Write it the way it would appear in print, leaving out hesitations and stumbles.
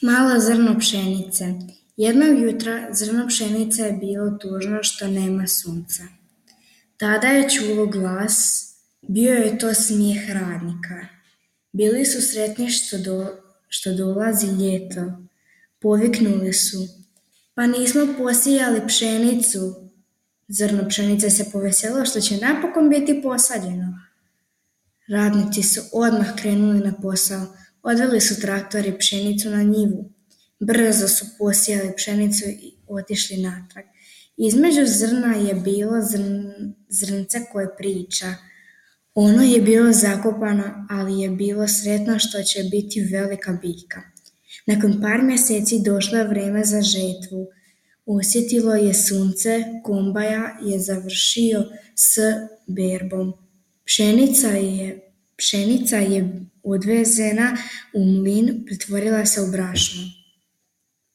Malo zrno pšenice. Jednog jutra zrno pšenice je bilo tužno što nema sunca. Tada je čulo glas, bio je to smijeh radnika. Bili su sretni što dolazi ljeto. Poviknuli su, pa nismo posijali pšenicu. Zrno pšenice se poveselilo što će napokon biti posađeno. Radnici su odmah krenuli na posao. Odveli su traktor i pšenicu na njivu. Brzo su posijali pšenicu i otišli natrag. Između zrna je bilo zrnce koje priča. Ono je bilo zakopano, ali je bilo sretno što će biti velika biljka. Nakon par mjeseci došlo je vrijeme za žetvu. Osjetilo je sunce, kombaja je završio s berbom. Pšenica je odvezena u mlin, pretvorila se u brašno.